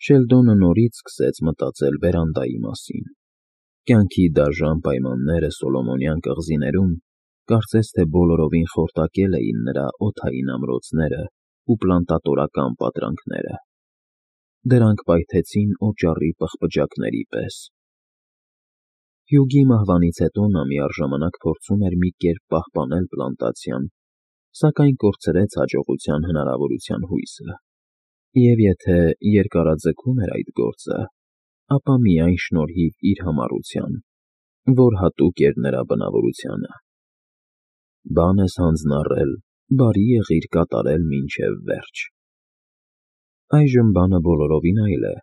Շելդոնը նորից սկսեց մտածել վերանդայի մասին։ Կյանքի դաժան պայմանները Սոլոմոնյան կղզիներում կարծես թե բոլորովին խորտակել էին նրա օդային ամրոցները ու պլանտատորական պատրանքները։ Դրանք պայթեցին օճառի պղպջակների պես։ Հյուգի մահվանից հետո նա միառժամանակ փորձում էր մի կերպ պահպանել պլանտացիան, սակայն կորցրեց հաջողության հնարավորության հույսը։ Եվ եթե երկարաձգում էր այդ գործը, ապա միայն շնորհիվ իր համառության, որ հատուկ էր նրա բնավորությանը։ Բան ես հանձնառել, բարի եղիր կատարել մինչև վերջ։ Այժմ բանը բոլորովին այլ է,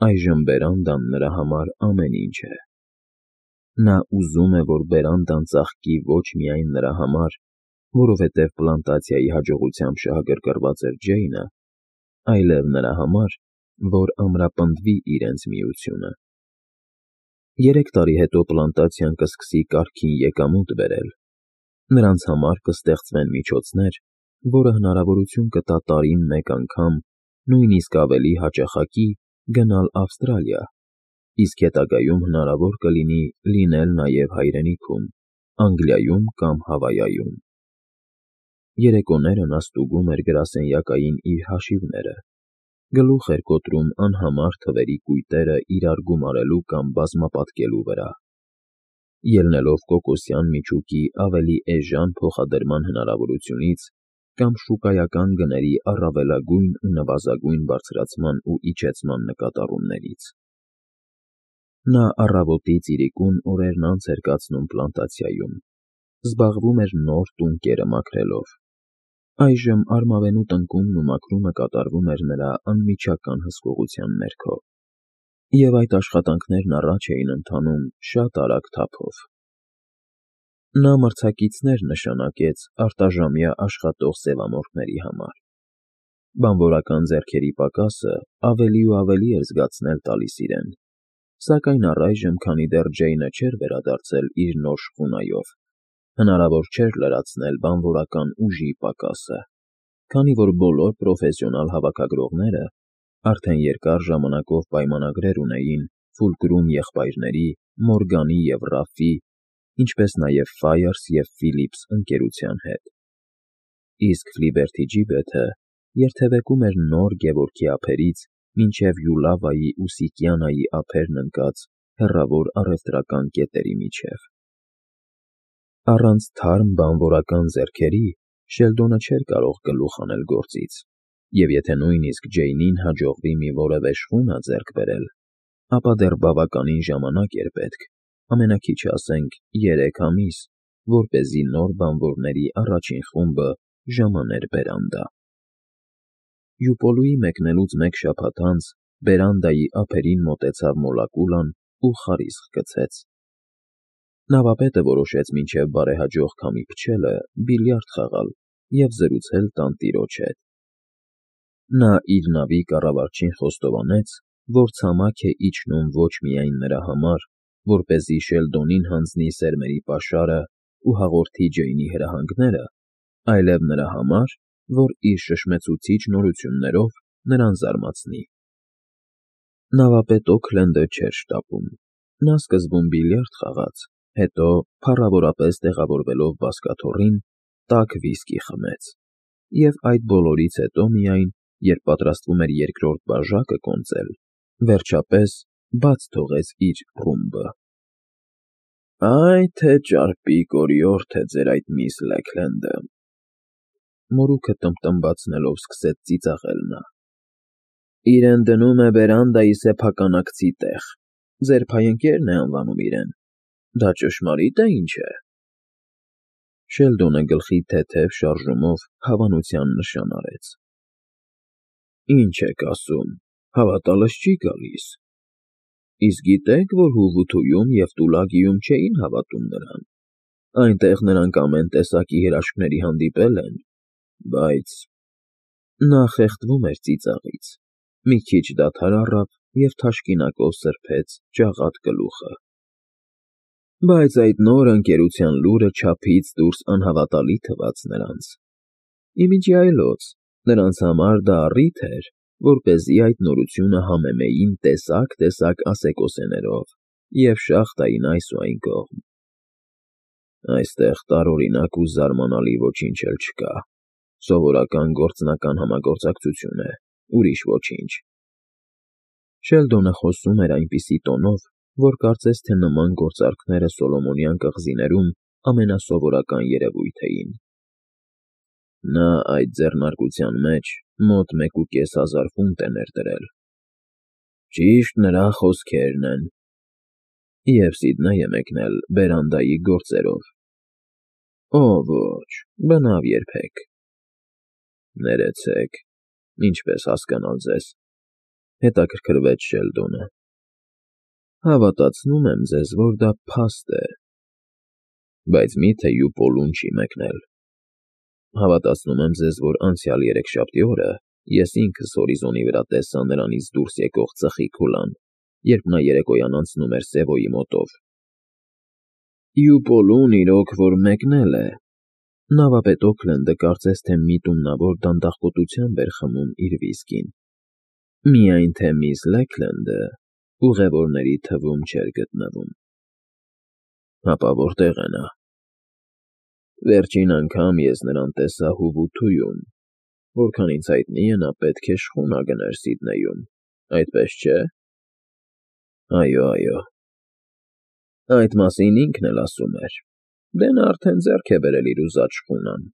այժմ բերանդան նրա համար ամեն ինչ է։ Նա ուզում է, որ բերանդան ծաղկի ոչ միայն նրա համար, որովհետև պլանտացիայի հաջողությամբ շահագրգռված էր Ջեյնը, այլև նրա համար, որ ամրապնդվի իրենց միությունը։ 3 տարի հետո պլանտացիան կսկսի կարգին եկամուտ բերել։ Նրանց համար կստեղծվեն միջոցներ, որը հնարավորություն կտա տարին մեկ անգամ, նույնիսկ ավելի հաճախակի գնալ Ավստրալիա, իսկ հետագայում հնարավոր կլինի լինել նաև հայրենիքում, Անգլիայում կամ Հավայայում։ Երեկոները նա ստուգում էր գրասենյակային իր հաշիվները, գլուխ էր կոտրում անհամար թվերի կույտերը իրար գումարելու կամ բազմապատկելու վրա։ Ելնելով կոկոսյան միջուկի ավելի էժան փոխադրման հնարավորությունից կամ շուկայական գների առավելագույն ու նվազագույն բարձրացման ու իջեցման նկատառումներից։ Նա առավոտից իրիկուն օրերն անց էր կացնում պլանտացիայում, զբաղվում էր նոր տունկերը մաքրելով։ Այժմ արմավենու տնկումն ու մաքրումը կատարվում էր նրա անմիջական հսկողության ներքո, և այդ աշխատանքներն առաջ էին ընթանում շատ արագ թափով։ Նա մրցակիցներ նշանակեց արտաժամյա աշխատող սևամորթների համար։ Բանվորական ձեռքերի պակասը ավելի ու ավելի էր զգացնել տալիս իրեն, սակայն առայժմ, քանի դեռ Ջեյնը չէր վերադարձել իր նոր շխունայով, հնարավոր չէր լրացնել բանվորական ուժի պակասը, քանի որ բոլոր պրոֆեսիոնալ հավաքագրողները արդեն երկար ժամանակով պայմանագրեր ունեին Ֆուլկրում եղբայրների, Մորգանի և Ռաֆի, ինչպես նաև Ֆայերս և Ֆիլիպս ընկերության հետ։ Իսկ Ֆլիբերթի Ջիբեթը երթևեկում էր նոր Գևորգի ափերից մինչև Յուլավայի ու Սիկյանայի ափերն ընկած հեռավոր առևտրական կետերի միջև։ Առանց թարմ բանվորական ձեռքերի Շելդոնը չէր կարող գլուխ անել գործից, և եթե նույնիսկ Ջեյնին հաջողվի մի որևէ շխունա ձեռք բերել, ապա դեռ բավականին ժամանակ էր պետք, ամենաքիչը ասենք 3 ամիս, որպեսզի նոր բանվորների առաջին խումբը ժամաներ բերանդա։ Յուպոլուի մեկնելուց մեկ շաբաթ անց բերանդայի ափերին մոտեցավ մոլակուլան ու խարիսկ գցեց։ Նավապետը որոշեց մինչև բարեհաջող քամի փչելը բիլիարդ խաղալ և զրուցել տանտիրոջ հետ։ Նա իր նավի կառավարչին խոստովանեց, որ ցամաք է իջնում ոչ միայն նրա համար, որպեսզի Շելդոնին հանձնի սերմերի պաշարը ու հաղորդի Ջեյնի հրահանգները, այլև նրա համար, որ իր շշմեցուցիչ նորություններով նրան զարմացնի։ Նավապետ Օքլենդը չէր շտապում։ Նա սկզբում բիլիարդ խաղաց, հետո, փառավորապես տեղավորվելով բազկաթոռին, տաք վիսկի խմեց, և այդ բոլորից հետո միայն, երբ պատրաստվում էր երկրորդ բաժակը կոնծել, վերջապես բաց թողեց իր ռումբը։ «Այ թե ճարպիկ օրիորդ է ձեր այդ միս Լեքլենդը», մորուքը տմբտմբացնելով սկսեց ծիծաղել նա։ «Իրեն դնում է վերանդայի սեփականագծի տեղ, ձեր փայընկերն է անվանում իրեն, դա ճշմարի՞տ է, ինչ է»։ Շելդոնը գլխի թեթև շարժումով հավանության նշան արեց։ «Ինչ եք ասում, հավատալս չի գալիս։ Իսկ գիտե՞ք, որ Հուվութույում և Տուլագիում չէին հավատում նրան, այնտեղ նրանք ամեն տեսակի հրաշքների հանդիպել են, բայց…» Նա խեղդվում էր ծիծաղից, մի քիչ դադար առավ և թաշկինակով սրբեց ջաղատ գլուխը։ Բայց այդ նոր ընկերության լուրը չափից դուրս անհավատալի թվաց նրանց։ Ի միջի այլոց, նրանց համար դա առիթ էր, որպեսզի այդ նորությունը համեմեին տեսակ ասեկոսեներով և շաղ տային այս ու այն կողմ։ Այստեղ տարօրինակ ու զարմանալի ոչինչ էլ չկա, սովորական գործնական համագործակցություն է, ուրիշ ոչինչ։ Շելդոնը խոսում էր այնպիսի տոնով, որ կարծես թե նման գործարքները Սոլոմոնյան կղզիներում ամենասովորական երևույթ էին։ Նա այդ ձեռնարկության մեջ մոտ 1,500 ֆունտ է ներդրել։ Ճիշտ նրա խոսքերն են։ Եվ Սիդնեյը մեկնել բերանդայի գործերով։ Օ, ոչ, բնավ երբեք։ Ներեցեք, ինչպես հասկանալ ձեզ, հետաքրքրվեց Շելդոնը։ Հավատացնում եմ ձեզ, որ դա փաստ է։ Բայց մի՞թե Յուպոլուն չի մեկնել։ Հավատացնում եմ ձեզ, որ անցյալ երեքշաբթի օրը ես ինքս հորիզոնի վրա տեսա նրանից դուրս եկող ծխի քուլան, երբ նա երեկոյան անցնում էր Սևոյի մոտով։ Յուպոլուն իրոք որ մեկնել է։ Նավապետ Օքլենդը կարծես թե միտումնավոր դանդաղկոտությամբ էր խմում իր վիսկին։ Միայն թե միս Լեքլենդը ուղևորների թվում չէր գտնվում։ Հապա որտե՞ղ է նա։ Վերջին անգամ ես նրան տեսա Հուվութույում, որքան ինձ հայտնի է, նա պետք է շխունա գներ Սիդնեյում, այդպես չէ։ Այո։ Այդ մասին ինքն էլ ասում էր։ Դե նա արդեն ձեռք է բերել իր ուզած շխունան,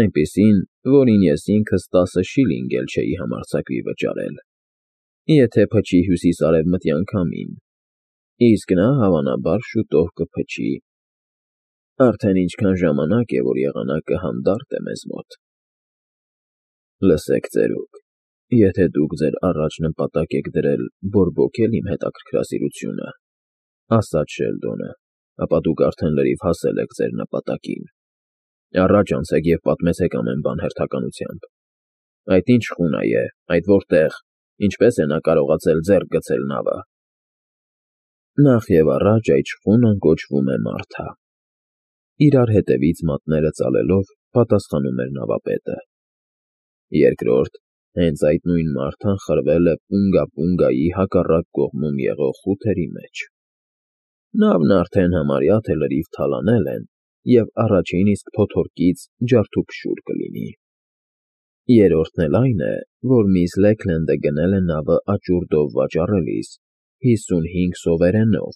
այնպիսին, որին ես ինքս 10 շիլինգ էլ չէի համարձակվի վճարել, եթե փչի հյուսիս֊արևմտյան քամին, իսկ նա հավանաբար շուտով կփչի։ Արդեն ինչքան ժամանակ է, որ եղանակը հանդարտ է մեզ մոտ։ Լսեք, ծերուկ, եթե դուք ձեր առաջ նպատակ եք դրել բորբոքել իմ հետաքրքրասիրությունը, ասաց Շելդոնը, ապա դուք արդեն լրիվ հասել եք ձեր նպատակին։ Առաջ անցեք և պատմեցեք ամեն բան հերթականությամբ։ Այդ ինչ շխունա է, այդ որտեղ, ինչպես է նա կարողացել ձեռք գցել նավը։ Նախ և առաջ այդ շխունան կոչվում է Մարթա։ Իրար հետևից մատները ծալելով պատասխանում էր նավապետը։ Երկրորդ, հենց այդ նույն Մարթան խրվել է Պունգա֊Պունգայի հակառակ կողմում եղող խութերի մեջ։ Նավն արդեն համարյա թե լրիվ թալանել են և առաջին իսկ փոթորկից ջարդուփշուր կլինի։ Երրորդն էլ այն է, որ միս Լեքլենդը գնել է նավը աճուրդով վաճառելիս 55 սովերենով,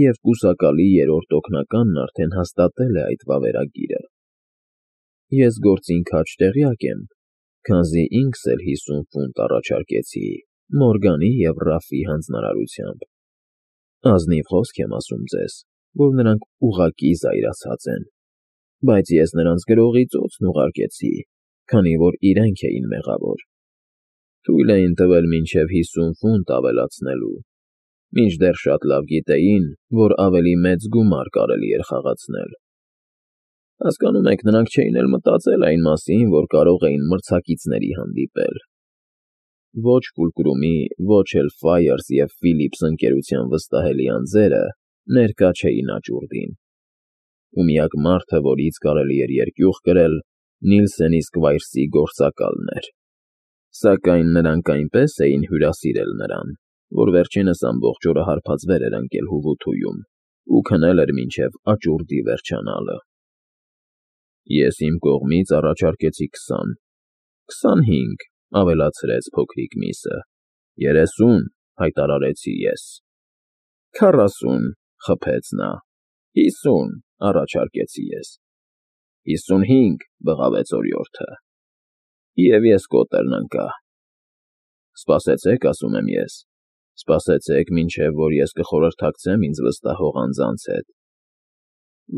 և կուսակալի երրորդ օգնականն արդեն հաստատել է այդ վավերագիրը։ Ես գործին քաջ տեղյակ եմ, քանզի ինքս էլ 50 ֆունտ առաջարկեցի Մորգանի և Ռաֆի հանձնարարությամբ։ Ազնիվ խոսք եմ ասում ձեզ, որ նրանք ուղղակի զայրացած են, բայց ես նրանց գրողի ծոցն ուղարկեցի, քանի որ իրենք էին մեղավոր։ Թույլ էին տվել մինչև 50 ֆունտ ավելացնելու, մինչդեռ շատ լավ գիտեին, որ ավելի մեծ գումար կարելի էր խաղացնել։ Հասկանում եք, նրանք չէին էլ մտածել այն մասին, որ կարող էին մրցակիցների հանդիպել։ Ոչ Ֆուլկրումի, ոչ էլ Ֆայերս և Ֆիլիպս ընկերության վստահելի անձերը ներկա չէին աճուրդին։ Ու միակ մարդը, որից կարելի էր երկյուղ կրել, Նիլսենի Սկվայրսի գործակալն էր։ Սակայն նրանք այնպես էին հյուրասիրել նրան, որ վերջինս ամբողջ օրը հարբածվեր էր ընկել Հուվութույում ու քնել էր մինչև աճուրդի վերջանալը։ Ես իմ կողմից առաջարկեցի 20, 25, ավելացրեց փոքրիկ միսը, 30 հայտարարեցի ես։ 40 խփեց նա, 50 առաջարկեցի ես, 55 բղավեց օրիորդը։ Եվ ես կոտերն ընկա։ Սպասեցեք, ասում եմ ես, սպասեցեք, մինչև որ ես կխորհրդակցեմ ինձ վստահող անձանց հետ։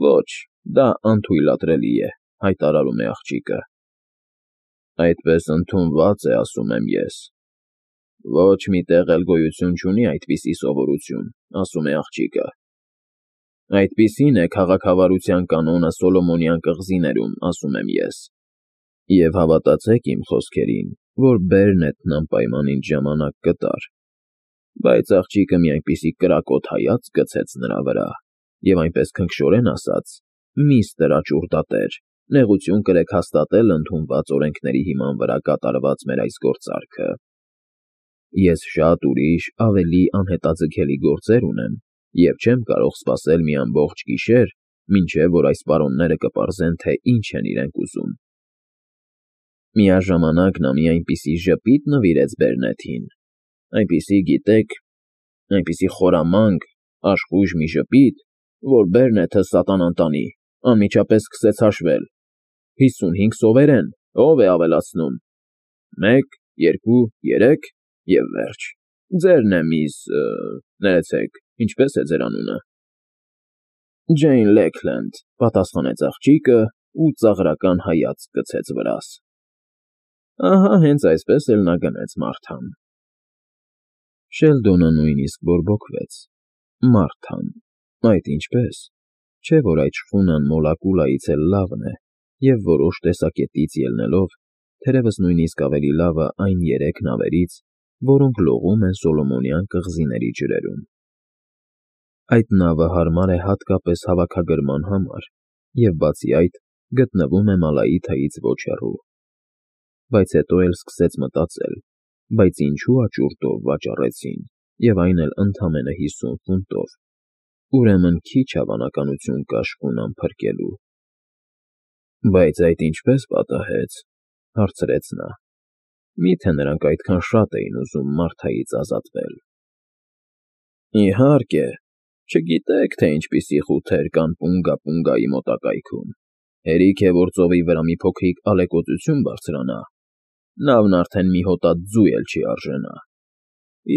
Ոչ, դա անթույլատրելի է, հայտարարում է աղջիկը։ Այդպես ընդունված է, ասում եմ ես։ Ոչ մի տեղ էլ գոյություն չունի այդպիսի սովորություն, ասում է աղջիկը։ Այդպիսին է քաղաքավարության կանոնը Սոլոմոնյան կղզիներում, ասում եմ ես։ Եվ հավատացեք իմ խոսքերին, որ Բերնետն անպայման ինձ ժամանակ կտար։ Բայց աղջիկը մի այնպիսի կրակոտ հայացք գցեց նրա վրա, և այնպես քնքշորեն ասաց. «Միստր աճուրդատեր, նեղություն կրեք հաստատել ընդունված օրենքների հիման վրա կատարված մեր այս գործարքը»։ Ես շատ ուրիշ, ավելի անհետաձգելի գործեր ունեմ և չեմ կարող սպասել մի ամբողջ գիշեր, մինչև որ այս պարոնները կպարզեն, թե ինչ են իրենք ուզում։ Միաժամանակ նա մի այնպիսի ժպիտ նվիրեց Բերնեթին, այնպիսի, գիտեք, այնպիսի խորամանկ, աշխույժ մի ժպիտ, որ Բերնեթը սատանան տանի, անմիջապես սկսեց հաշվել. 55 սովերեն, ով է ավելացնում։ 1, 2, 3 և վերջ։ Ձերն է, միս… ներեցեք, ինչպե՞ս է ձեր անունը։ Ջեյն Լեքլենդ, պատասխանեց աղջիկը ու ծաղրական հայացք գցեց վրաս։ Ահա հենց այսպես էլ նա գնեց Մարթան։ Շելդոնը նույնիսկ բորբոքվեց։ Մարթան… Այդ ինչպե՞ս։ Չէ՞ որ այդ շխունան Մոլակուլայից էլ լավն է, և որոշ տեսակետից ելնելով, թերևս նույնիսկ ավելի լավը այն 3 նավերից, որոնք լողում են Սոլոմոնյան կղզիների ջրերում։ Այդ նավը հարմար է հատկապես հավաքագրման համար և, բացի այդ, գտնվում է Մալայիթայից ոչ հեռու։ Բայց հետո էլ սկսեց մտածել, բայց ինչու աճուրդով վաճառեցին, և այն էլ ընդամենը 50 ֆունտով։ Ուրեմն քիչ հավանականություն կա շխունան փրկելու։ Բայց այդ ինչպե՞ս պատահեց, հարցրեց նա։ Մի՞թե նրանք այդքան շատ էին ուզում Մարթայից ազատվել։ Իհարկե, չգիտեք, թե ինչպիսի խութեր կան Պունգա֊Պունգայի մոտակայքում։ Հերիք է, որ ծովի վրա մի փոքրիկ ալեկոծություն բարձրանա, նավն արդեն մի հոտած ձու էլ չի արժենա,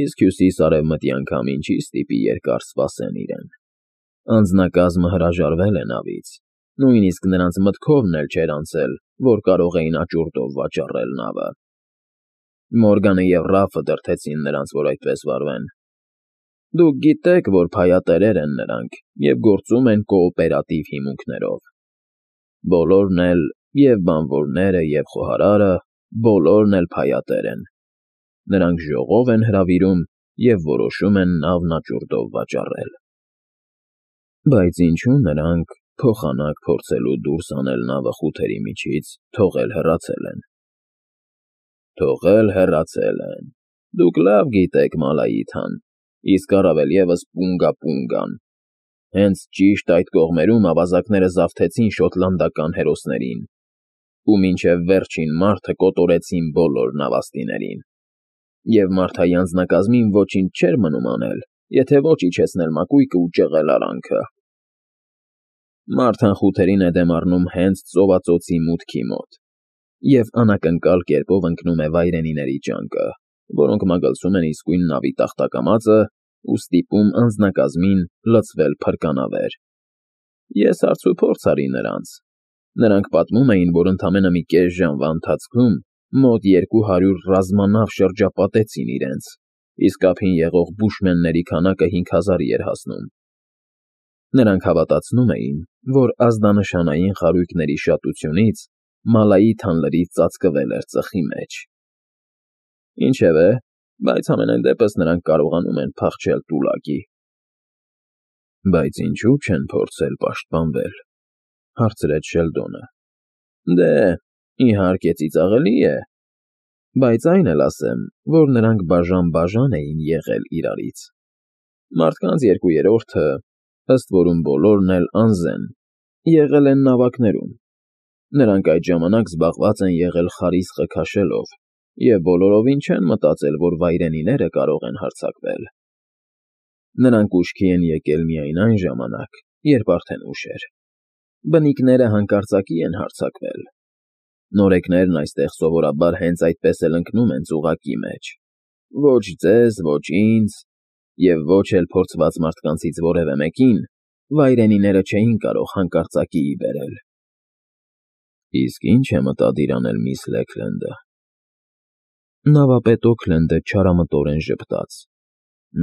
իսկ հյուսիս֊արևմտյան քամին չի ստիպի երկար սպասեն իրեն։ Անձնակազմը հրաժարվել է նավից, նույնիսկ նրանց մտքովն էլ չէր անցել, որ կարող էին աճուրդով վաճառել նավը։ Մորգանը և Ռաֆը դրդեցին նրանց, որ այդպես վարվեն։ Դուք գիտեք, որ փայատերեր են նրանք և գործում են կոոպերատիվ հիմունքներով։ Բոլորն էլ, և բանվորները, և խոհարարը, բոլորն էլ փայատեր են։ Նրանք ժողով են հրավիրում և որոշում են նավն աճուրդով վաճառել։ Բայց ինչու նրանք, փոխանակ փորձելու դուրս անել նավը խութերի միջից, թողել հեռացել են։ Թողել հեռացել են… Դուք լավ գիտեք Մալայիթան, իսկ առավել ևս Պունգա֊Պունգան։ Հենց ճիշտ այդ կողմերում ավազակները զավթեցին շոտլանդական հերոսներին ու մինչև վերջին մարդը կոտորեցին բոլոր նավաստիներին։ Եվ Մարթայի անձնակազմին ոչինչ չէր մնում անել, եթե ոչ իջեցնել մակույկը ու ճեղել արանքը։ Մարթան խութերին է դեմ առնում հենց ծովածոցի մուտքի մոտ և անակնկալ կերպով ընկնում է վայրենիների ճանկը, որոնք մագլցում են իսկույն նավի տախտակամածը ու ստիպում անձնակազմին լցվել փրկանավեր։ Ես հարցուփորձ արի նրանց։ Նրանք պատմում էին, որ ընդամենը մի կես ժամվա ընթացքում մոտ 200 ռազմանավ շրջապատեցին իրենց, իսկ ափին եղող բուշմենների քանակը 5000-ի էր հասնում։ Նրանք հավատացնում էին, որ ազդանշանային խարույկների շատությունից Մալայիթան լրիվ ծածկվել էր ծխի մեջ։ Ինչևէ, բայց համենայն դեպս նրանք կարողանում են փախչել Տուլակի։ Բայց ինչու չեն փորձել պաշտպանվել, հարցրեց Շելդոնը։ Դե, իհարկե ծիծաղելի է, բայց այն էլ ասեմ, որ նրանք բաժան էին եղել իրարից։ Մարդկանց 2/3-ը, ըստ որում բոլորն էլ անզեն, եղել են նավակներում։ Նրանք այդ ժամանակ զբաղված են եղել խարիսխը քաշելով և բոլորովին չեն մտածել, որ վայրենիները կարող են հարձակվել։ Նրանք ուշքի են եկել միայն այն ժամանակ, երբ արդեն ուշ էր։ Բնիկները հանկարծակի են հարձակվել։ Նորեկներն այստեղ սովորաբար հենց այդպես էլ ընկնում են ծուղակի մեջ։ Ոչ ձեզ, ոչ ինձ, և ոչ էլ փորձված մարդկանցից որևէ մեկին վայրենիները չէին կարող հանկարծակիի բերել։ Իսկ ի՞նչ է մտադիր անել միս Լեքլենդը։ Նավապետ Օքլենդը չարամտորեն ժպտաց։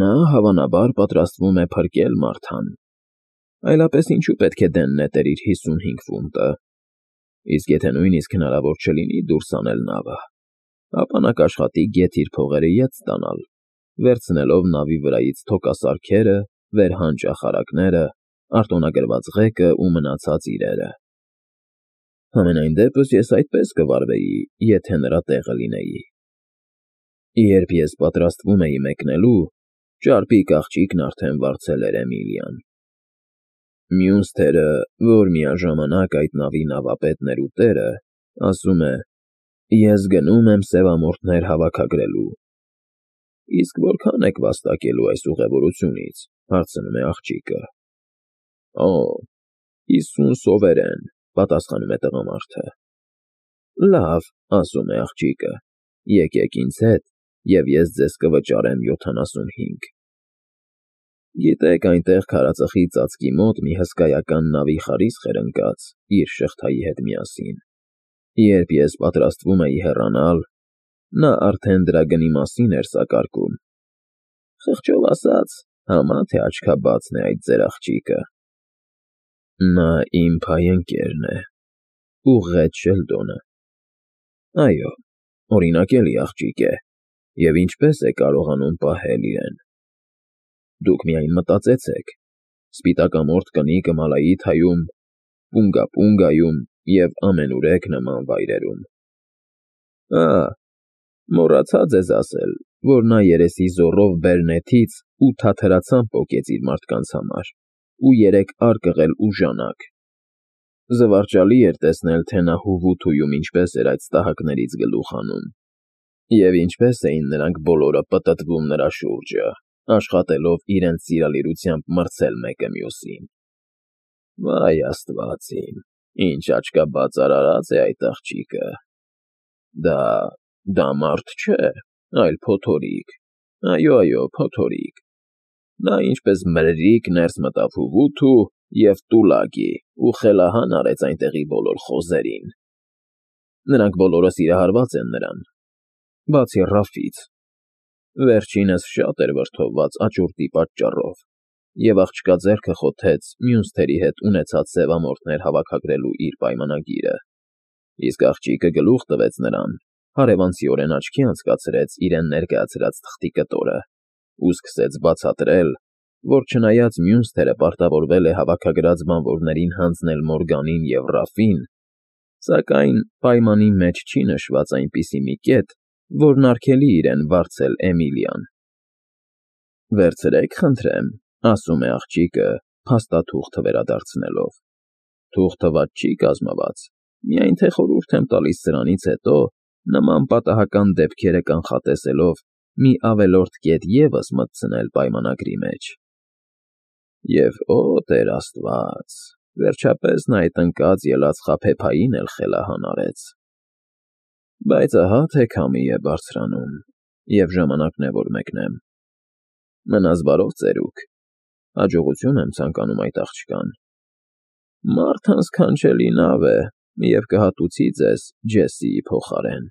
Նա, հավանաբար, պատրաստվում է փրկել Մարթան։ Այլապես ինչու պետք է դեն նետեր իր 55 ֆունտը։ Իսկ եթե նույնիսկ հնարավոր չլինի դուրս անել նավը, ապա նա կաշխատի գեթ իր փողերը ետ ստանալ, վերցնելով նավի վրայից թոկասարքերը, վերհան ճախարակները, արտոնագրված ղեկը ու մնացած իրերը։ Համենայն դեպս ես այդպես կվարվեի, եթե նրա տեղը լինեի։ Երբ ես պատրաստվում էի մեկնելու, ճարպիկ աղջիկն արդեն վարձել էր Էմիլիան։ Մյուս թերը, որ միաժամանակ այդ նավի նավապետն էր ու տերը, ասում է. «Ես գնում եմ սևամորթներ հավաքագրելու»։ Իսկ որքան եք վաստակելու այս ուղևորությունից, հարցնում է աղջիկը։ Օ, 50 սովերեն, պատասխանում է տղամարդը։ Լավ, ասում է աղջիկը, եկեք ինձ հետ, և ես ձեզ կվճարեմ 75։ Գիտեք, այնտեղ քարածխի ծածկի մոտ մի հսկայական նավի խարիսխ էր ընկած իր շղթայի հետ միասին։ Երբ ես պատրաստվում էի հեռանալ, նա արդեն դրա գնի մասին էր սակարկում։ Խղճով ասած, համա թե աչքաբացն է այդ ձեր աղջիկը։ Նա իմ փայընկերն է, ուղղեց Շելդոնը։ Այո, օրինակելի աղջիկ է, և ինչպես է կարողանում պահել իրեն։ Դուք միայն մտածեցեք, սպիտակամորթ կնիկը Մալայիթայում, Պունգա֊Պունգայում և ամենուրեք նման վայրերում։ Մոռացա ձեզ ասել, որ նա երեսի զոռով բերնեթից 8 թաթրացամ պոկեց իր մարդկանց համար ու 3 արկղել ու ժանակ։ Զվարճալի էր տեսնել, թե նա Հուվութուում ինչպես էր այդ ստահակներից գլուխ հանում, և ինչպես էին նրանք բոլորը պտտվում նրա շուրջը, աշխատելով իրենց սիրալիրությամբ մրցել մեկը մյուսին։ Վայ աստված իմ, ինչ աչքաբաց արարած է այդ աղջիկը։ Դա մարդ չէ, այլ փոթորիկ, այո, փոթորիկ։ Նա ինչպես մրրիկ ներս մտավ Հուվութու և Տուլագի ու խելահան արեց այնտեղի բոլոր խոզերին։ Նրանք բոլորը սիրահարված են նրան, բացի Ռաֆից։ Վերջինս շատ էր վրդովված աճուրդի պատճառով, և աղջկա ձեռքը խոթեց մյուս թերի հետ ունեցած սևամորթներ հավաքագրելու իր պայմանագիրը, իսկ աղջիկը գլուխ տվեց նրան, հարևանցիորեն աչքի անցկացրեց իրեն ներկայացրած թղթի կտորը ու սկսեց բացատրել, որ չնայած մյուս թերը պարտավորվել է հավաքագրած բանվորներին հանձնել Մորգանին և Ռաֆին, սակայն պայմանի մեջ չի նշված այնպիսի մի կետ, որն արգելի իրեն վարձել Էմիլիան։ Վերցրեք, խնդրեմ, ասում է աղջիկը, փաստաթուղթը վերադարձնելով։ Թուղթը վատ չի կազմված, միայն թե խորհուրդ եմ տալիս սրանից հետո նման պատահական դեպքերը կանխատեսելով մի ավելորդ կետ ևս մտցնել պայմանագրի մեջ։ Եվ Տեր Աստված, վերջապես նա այդ ընկած ելած խաբեբային էլ խելահան արեց։ Բայց ահա թե քամի է բարձրանում, և ժամանակն է, որ մեկնեմ։ Մնաս բարով, ծերուկ, հաջողություն եմ ցանկանում այդ աղջկան։ Մարդ հանցքանչելի նավ է և կհատուցի ձեզ Ջեսիի փոխարեն։